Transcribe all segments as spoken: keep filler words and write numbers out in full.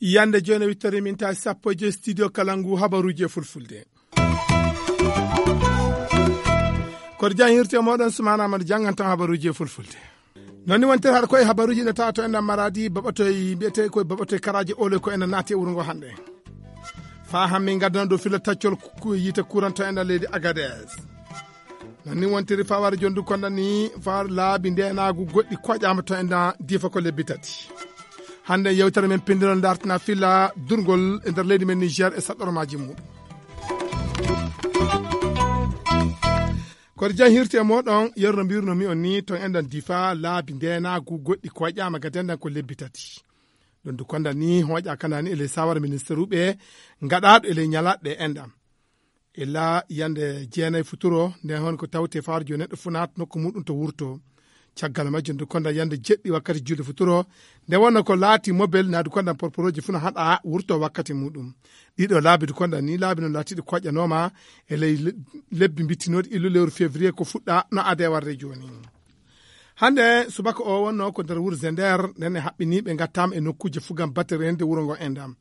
Yande jooni wittori min taasi sappo e joy studio Kalangu, habaruuji e fulfulde. Koto jan hirti e mooɗon Sumaana Amadu janngantan habaruuji e fulfulde. Noon ni wontere haɗa koye habaruuji ina tawa to enen Maradi, baɓatoy mbiyetee koye baɓatoy karaaji oloy ko enen naati e wuro ngo hannde. Faa han min ngaddana ɗo filla taccol ku-, yiite kuran to enen leydi Agadez. Noon ni wontiri faa wara jondu konda ni faa laabi ndeenaagu goɗɗi koƴaama to enen diifa ko lebbi tati. Hannde yewtere men pinndinol dartina filla durngol e nder leydi men Niger e saɗɗormaaji mum. Koto jan hirti e mooɗon, yerno mbirno mi on ni, to enɗan difa laabi ndeenaagu goɗɗi koƴaama ga dendan ko lebbi tati. Ɗum du konda ni hoƴa kana ni e ley sawara ministeruɓe ngaɗaɗo e ley ñalaɗe enɗan. E la yande jeenay futuro, nden hon ko tawte fawar jo neɗɗo fu naat nokku muɗum to wurto. Caggal majjum du konda yande jeɗɗi wakkati julde futuro, nde wonno ko laati mobel naadu konda porporoji fu no haɗa wurto wakkati muɗum. Ɗiɗo laabi du konda ni laabi no laatiɗi koƴƴanooma e ley le-, lebbi mbittinoɗi illu lewru février ko fuɗɗa no ade warde jooni. Hannde subaka o wonno ko nder wuro Zender, nden e haɓɓiniiɓe ngattaama e nokkuuje fu gam batte rende wuro ngo endam.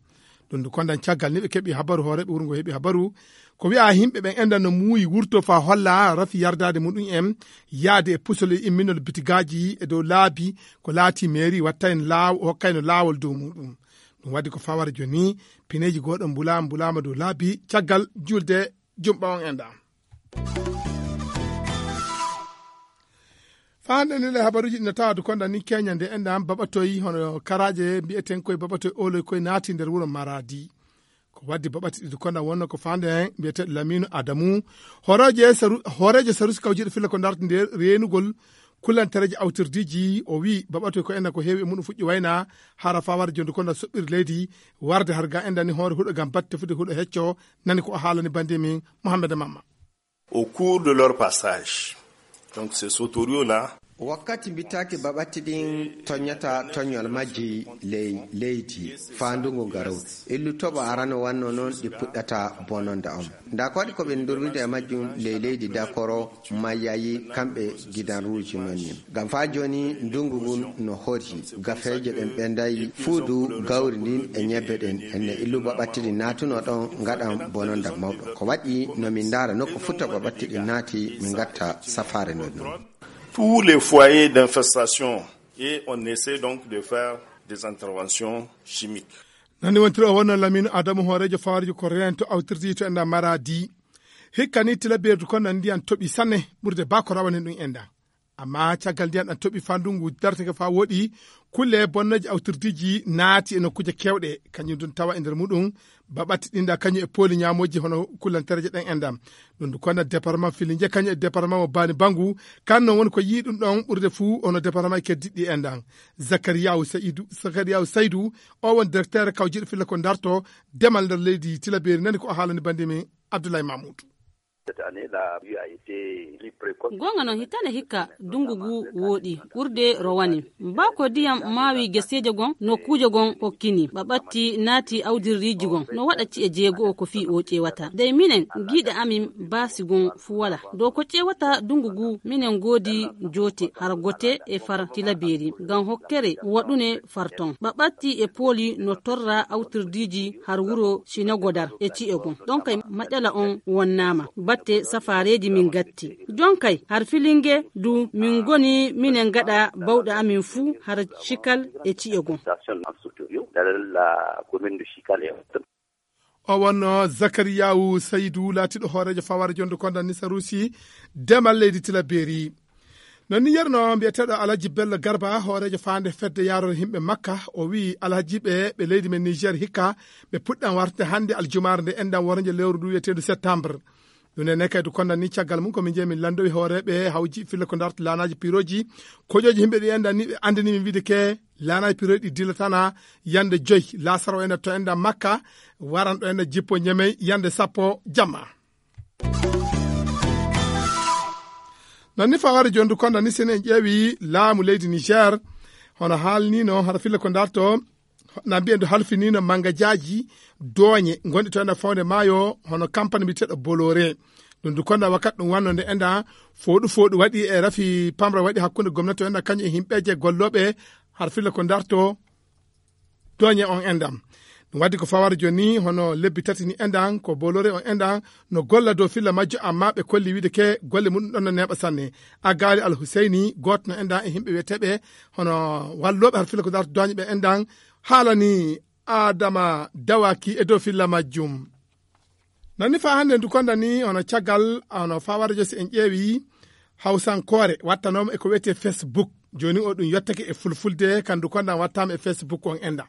Ɗum ndu kondan caggal ni ɓe keɓi habaru, hooreeɓe wuro ngo heɓi habaru. Ko wi'a himɓe ɓen endan no muuyi wurto fa holla rafi yardaade muɗum en, yaade e pusol e imminol bitigaaji e dow laabi ko laati meeri watta en laaw-, hokkayno laawol dow muɗum. Ɗum waddi ko fawara jooni, pineeji gooɗo mbulaama, mbulaama dow laabi caggal julde jumɓa on endan. Faande ni le habaruuji ɗi no tawa du konda ni Kenya nde enɗan baɓatoy hono karaaje mbi'eten koye baɓatoy oloy koye naati nder wuro Maradi. Ko waddi baɓati ɗi du konda wonno ko faande en mbi'eten Laminu Adamu. Hooreejo saru-, hooreejo sarusi kawjiiɗo filla ko darti nde reenugol kulantereeji awtirdiiji o wi baɓatoy ko enɗan ko heewi e muɗum fuɗɗi wayna hara fawar jondu konda soɓɓiri leydi warde har ga enɗan ni hoore huɗo gam batte fuɗi huɗo hecco nani ko o haalani bandi min Mohamed Mamma. Au cours de leur passage, donc ces sauteriaux-là, wakkati mbittaaki baɓatti ɗin toññata toññol majji ley leydi faa ndungu garow. Illu toɓo arano wanno noon ɗi puɗɗata bononda on. Nda ko waɗi ko ɓe ndurwida e majjum ley leydi Dakoro mayayi kamɓe gidanruuji men nin. Ngam faa jooni ndungu ngun no hori. Gafeeje ɗen ɓenday fuudu gawri ndin e ñebbe ɗen. Enne illuba ɓattidi naatuno ɗon ngaɗan bononda mawɗo. Ko waɗi no min ndaara nokku futta ba ɓattidi naati min ngatta safaare nden non. Tous les foyers d'infestation et on essaie donc de faire des interventions chimiques. Nani wontiri o wonno Lamine Adamu hooreejo fawarjo ko reento awtirdi to enda Maradi. Hikka ni tilabeerdu kon nan ndiyan toɓi sanne ɓurde ba ko rawanin ɗum enda. Amma caggal ndiyan ɗan toɓi faa ndungu dartake faa woɗi, kulle bonnoje awtirdiiji naati e nokkuuje keewɗe, kañum ɗum tawa e nder muɗum, baɓatti ɗinɗa kañum e pooli ñaamooji hono kullantereeje ɗen enɗam. Ɗum ɗum konna département Filinge kañum e département mo Bani Bangu, kan non woni ko yii ɗum ɗon ɓurde fuu hono département e keddiɗɗi enɗam. Zakariyawu Sayidu, Zakariyawu Saydu, o won directeur kawjiiɗo filla ko darto demal nder leydi Tilaberi, nani ko o haalani bandi min Abdoulaye Mamoudou. Cette année, la pluie a été plus précoce. Goonga noon, hitaande hikka, ndunngu ngu wooɗi, ɓurde rowani. Mbaa ko ndiyam maawi geseeje gon, nokkuuje gon hokkini, ɓaɓatti naati awdirriiji gon, no waɗa ci'e jeego ko fii o ƴeewata. Dey minen, giiɗe amin baasi gon fu wala. Dow ko ƴeewata ndunngu ngu, minen ngoodi joote har gote e far Tilaberi, ngam hokkere waɗune far ton. Ɓaɓatti e pooli no torra awtirdiiji har wuro Sinagodar e ci'e gon. Ɗon kay maƴala on wonnaama. Batte safaareeji min gatti. Jon kay har Filinge du min ngoni minen gaɗa bawɗe amin fuu har Cikal e ci'e gon. O wonno Zakariyawu Saydu, laatiiɗo hooreejo fawaare jonde konda Nisarusi, demal leydi Tilaberi. Non ni yerno mbiyeteeɗo Alhaji Bello Garba, hooreejo faande fedde yaarore yimɓe Makka, o wi'i alhajiiɓe ɓe leydi men Niger hikka, ɓe puɗɗan wartude hannde aljumaare nde enɗan wornje lewru ndu wiyeteendu septembre. Ɗum ene kaydu konda ni caggal mum ko min jeeyi min lanndowi hooreeɓe hawji filla ko darta laanaaji piirooji, kojooji yimɓe ɗi enɗan ni ɓe anndini min wiide ke laanaaji piirooji ɗi dillatana yande joy laasara o enɗan to enɗan Makka, waran ɗo enɗan jippo Ñemey yande sappo jamma. Non ni faware jondu konda ni sen en ƴeewi laamu leydi Niger, hono haalnino hara filla ko darto, Na mbiyen du halfinino mangajaaji dooñe ngonɗi to ena fawde maayo, hono kampani mbiyeteeɗo Bolore. Ɗum du konda wakkat ɗum wanno nde enda fooɗu fooɗu waɗi e rafi pamra waɗi hakkunde gomnati o enda kañum e himɓeeje gollooɓe har filla ko darto dooñe on endan. Ɗum waddi ko fawara jooni ni hono lebbi tati ni endan ko Bolore on endan no golla dow filla majjo, amma ɓe kolli wiide ke golle muɗum ɗon no neeɓa sanne. Aggaali Al Huseyni, gooto no endan e himɓe wiyeteeɓe hono wallooɓe har filla ko darto dooñe ɓe endan, haalani Adama Dawaki e dow filla majjum. Nani fa hannde ndu konda ni hono caggal, hono fawara jo si en ƴeewi hawsankoore wattanooma e ko wiyetee Facebook. Jooni o ɗum yottake e fulfulde, kan ndu konda wattaama e Facebook on enda.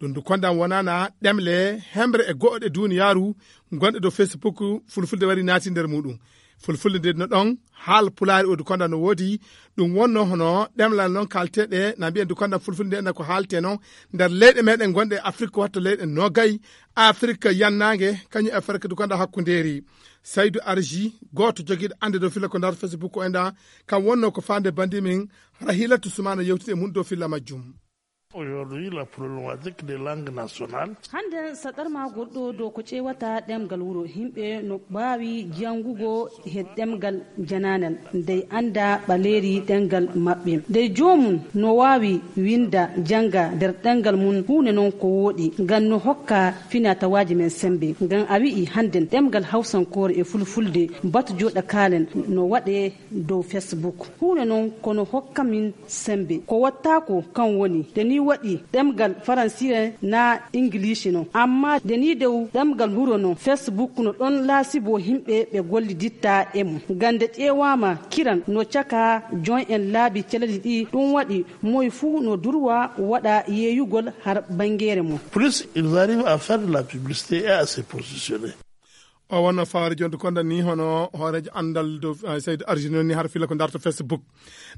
Ɗum ndu konda wonana ɗemle hemre e go'o ɗe duniyaaru gonɗe dow Facebook, fulfulde wari naati nder muɗum. Fulfulde nde no ɗon, haal pulaari o du konda no woodi, ɗum wonno hono ɗemlal non kaalteɗe, na mbiyen du konda fulfulde nde na ko haalte non nder leyɗe meɗen gonɗe e Afrik, watta leyɗe nogay, Afrik yannaange, kañum Afrik du konda hakkundeeri. Saydu Arji, gooto jogiiɗo annde dow filla ko nder Facebook o enda, kam wonno ko faande bandi min, Rahilatu Sumana yewtide e mum dow filla majjum. Aujourd'hui, la problématique des langues nationales. Hannde saɗarma goɗɗo dow ko ƴeewata ɗemngal wuro, yimɓe no mbaawi janngugo he ɗemngal jananal, dey annda ɓaleeri ɗemngal maɓɓe. Dey joomum no waawi winnda, jannga nder ɗemngal mum, huunde noon ko wooɗi, ngam no hokka finatawaaji men semmbe. Ngam a wi'i hannden ɗemngal hawsankoore e fulfulde, batu jooɗa kaalen no waɗee dow Facebook. Huunde noon kono hokka min semmbe. Ko wattaako kan woni, nde ni waɗi ɗemngal faransiire na ingiliisi noon. Amma nde ni dow ɗemngal huro noon, Facebook no ɗon laasibo yimɓe ɓe golliditta e mum. Ngam nde ƴeewaama kiran no caka joon en laabi calali ɗi, ɗum waɗi moy fuu no durwa waɗa yeeyugol har banngeere mum. Plus ils arrivent à faire de la publicité et à se positionner. O wonno fawre jonde konda ni hono hooreejo anndal dow, eh, Seydi Arjino ni har filla ko darto Facebook.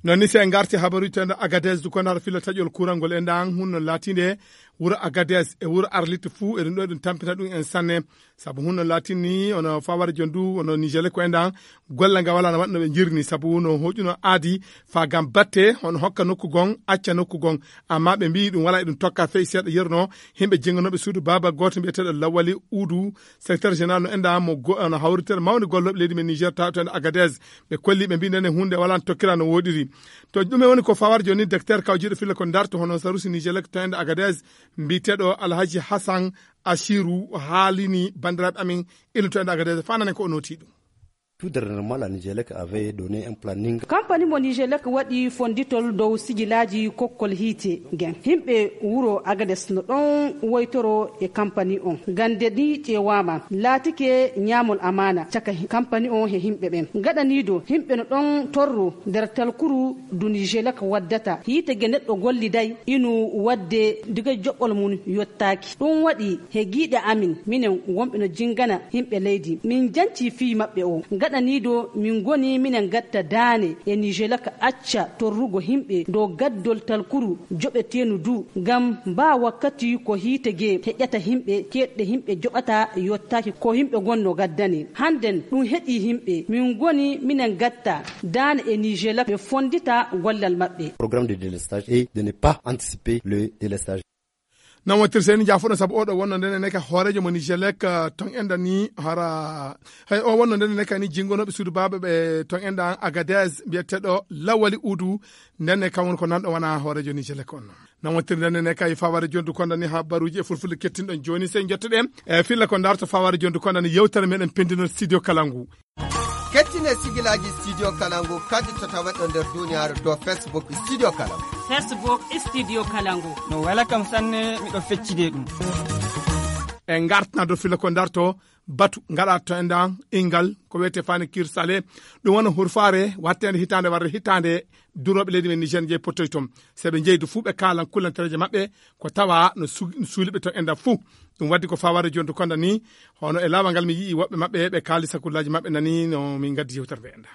Noon ni si en ngarti habaruuji tawde Agadez du konda har filla taƴol kuural ngol e ndan hunno laatinde wuro Agadez e wuro Arlit fuu eɗum ɗo eɗum tampina ɗum en sanne. Sabu hunno laatini ono fawre jondu ono Nigel ko e ndan golle nga wala no waɗno ɓe jirni sabu no hoƴuno aadi fa gam batte hono hokka nokku gon acca nokku gon. Amma ɓe mbi ɗum wala eɗum tokka fey seeɗa yerno himɓe jenganoɓe suudu baaba gooto mbiyeteeɗo Lawali Udu, secrétaire général no enda mo go-, no hawritere mawde gollooɓe leydi men Niger tawtoende Agadez. Ɓe kolli ɓe mbi nene hunde wala no tokkira no woɗiri. To ɗume woni ko fawar joni docteur kawjiɗo filla ko darto hono sarusi Niger to ende Agadez mbiyeteeɗo Alhaji Hassan Asiru haalini banndiraaɓe amin illutoende Agadez fanane ko o nooti ɗum. Tout dernièrement, la Nigelec avait donné un planning. Kampani mo Nigelec waɗi fonditol dow sijilaaji kokkol hiite gen. Himɓe wuro Agades no ɗon woytoro e kampani on. Gande ni ƴeewaama, laatike ñaamol amaana caka hi-, kampani on he himɓe ɓen. Gaɗaniido himɓe no ɗon torro nder talkuru du Nigelec waddata. Hiite ge neɗɗo golliday inu wadde diga joɓɓol mum yottaaki. Ɗum waɗi he giiɗe amin, minen wonɓe no jingana yimɓe leydi. Min janci fii maɓɓe o. Gaɗaniido min ngoni minen gatta daane e Nigelec acca torrugo yimɓe dow gaddol talkuru joɓeteenu du, ngam mbaa wakkati ko hiite gee heƴata yimɓe, keeɗɗe yimɓe joɓata yottaaki ko yimɓe gonno gaddane. Hannden ɗum heƴi yimɓe. Min ngoni minen gatta daane e Nigelec ɓe fonndita gollal maɓɓe. Programme de délestage et de ne pas anticiper le délestage. Non wontir seni jaafuɗo sabu oɗo wonno ndene neka hoorejo mo Nigelec, eh, ton enda ni hara, hay o wonno ndene neka ni jingonoɓe suudu baaba ɓe ton enda Agadez mbiyeteɗo Lawali Udu, ndene kam woni ko nanɗo wona hoorejo Nigelec on. Non wontir ndene neka e faware jondu konda ni habaruji e fulfulde kettinɗon joni sey jottoɗen e filla ko darto faware jondu konda ni yewtere meɗen pendino Studio Kalangu. Kettine sigilaaji Studio Kalangu kadi to taweɗo nder duniyaaru dow Facebook Studio Kalangu. Facebook Studio Kalangu. No wela kam sanne, miɗo feccide ɗum. En ngartna dow filla ko darto batu ngaɗa to endan ingal ko wiyete fani kirsale. Ɗum wona hurfare wattende hitande warde hitande durooɓe leydi men Niger jeyi pottoy toon. Se ɓe jeyi du fuu ɓe kaalan kullantereeje maɓɓe ko tawa no su-, suuliɓe to endan fuu. Ɗum waddi ko fawade jonto konda ni, hono e laawol ngal mi yi'i woɓɓe maɓɓe ɓe kaali sakullaaji maɓɓe nani no min ngaddi yewtere nde endan.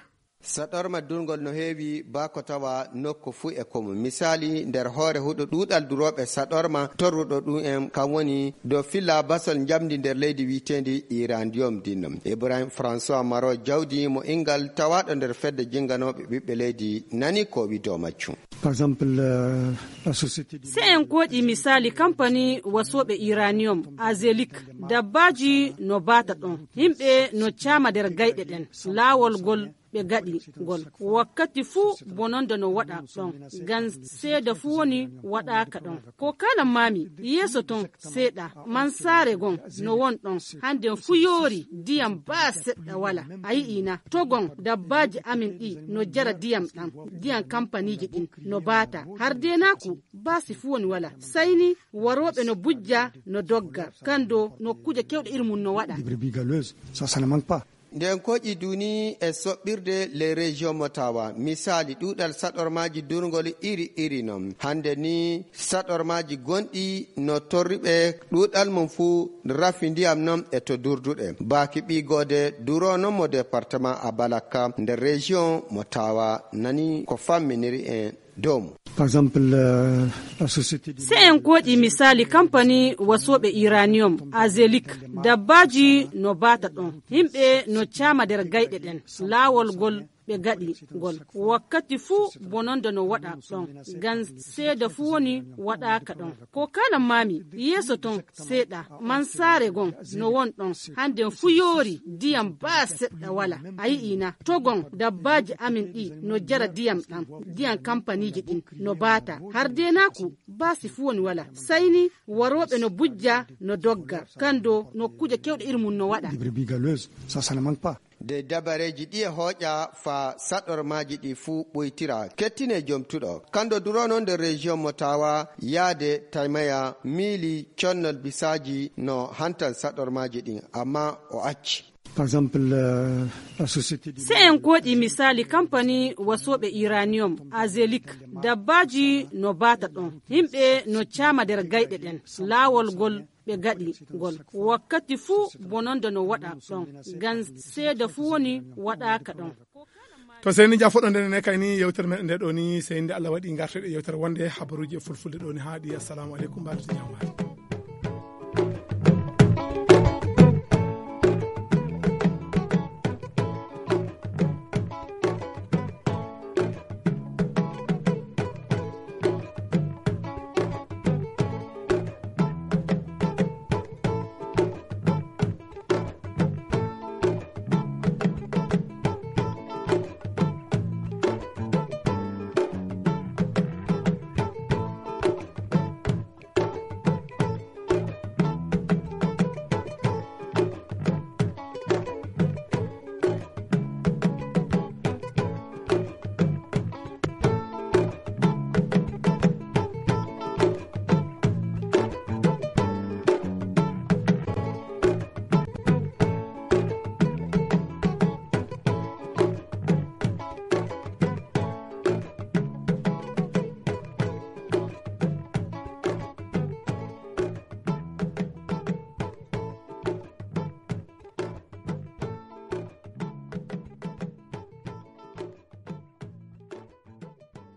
Saɗorma durngol no heewi baa ko tawa nokku fuu e komu. Misaali, nder hoore huɗo ɗuuɗal durooɓe saɗorma torruɗo ɗum en, kam woni dow filla basol njamndi nder leydi wiyeteendi Irandiyom dinno. Ibrahim François Maro jawdi mo inngal tawaaɗo nder fedde jinnganooɓe ɓiɓɓe leydi nani ko o wi dow majjum. Par exemple, euh, la société de... Se en kooƴi misaali kampani wasooɓe Iranium, Azelik, dabbaaji no baata ɗon, yimɓe no caama nder gayɗe ɗen, laawol ngol ɓe gaɗi ngol. Wakkati fuu bononda no waɗa ɗon, ngam seeda fuu woni waɗaaka ɗon. Ko kala maami yeeso ton seeɗa, man saare gon no won ɗon, hannden fuu yoori, diyam baa seɗɗa wala. A yi'ii na, to gon dabbaaji amin ɗi no jara diyam ɗam, diyam kampaniiji ɗin no baata. Har deenaaku baasi fuu woni wala. Sayni warooɓe no bujja, no dogga. Kando nokkuuje kewɗe iri mum no waɗa. Des brebis galeuses, ça, ça ne manque pas. Nden koƴi duni e soɓɓirde les régions mo tawa. Misaali, ɗuuɗal saɗormaaji durngol iri iri non. Hannde ni, saɗormaaji gonɗi no torriɓe ɗuuɗal mum fuu rafi ndiyam non e to durduɗe. Baaki ɓiigoode duro non mo département Abalaka nder région mo tawa nani ko famminiri en dow mum. Par exemple, euh, la société de... Se en kooƴi misaali kampani wasooɓe Iranium, Azelik, dabbaaji no baata ɗon, yimɓe no caama nder gayɗe ɗen, laawol ngol ɓe gaɗi ngol. Wakkati fuu bononda no waɗa ɗon, ngam seeda fuu woni waɗaaka ɗon. Ko kala maami yeeso ton seeɗa, man saare gon no won ɗon, hannden fuu yoori, diyam baa seɗɗa wala. A yi'ii na, to gon dabbaaji amin ɗi no jara diyam ɗam, diyam kampaniiji ɗin no baata. Har deenaaku baasi fuu woni wala. Sayni warooɓe no bujja, no dogga. Kando nokkuuje kewɗe iri mum no waɗa. Des brebis galeuses, ça, ça ne manque pas. De dabareeji ɗi e hooƴa faa saɗormaaji ɗi fuu ɓoytira. Kettine jomtuɗo. Kando duro non nder région mo tawa yaade taymaya miili connol bisaaji no hantan saɗormaaji ɗin, amma o acci. Par exemple, euh, la société de... Se en kooƴi misaali kampani wasooɓe Iranium, Azelik, dabbaaji no baata ɗon, yimɓe no caama nder gayɗe ɗen, laawol ngol ɓe gaɗi ngol. Wakkati fuu bononda no waɗa ɗon, ngam seeda fuu woni waɗaaka ɗon. To seyni jafo ɗo nden ne kayni yewtere meɗen nde ɗo ni, seyni nde Allah waɗi ngarteɗe yewtere wonde habaruuji e fulfulde ɗo ni haaɗi. Assalamu aleykum, mbaɗo to jamaare.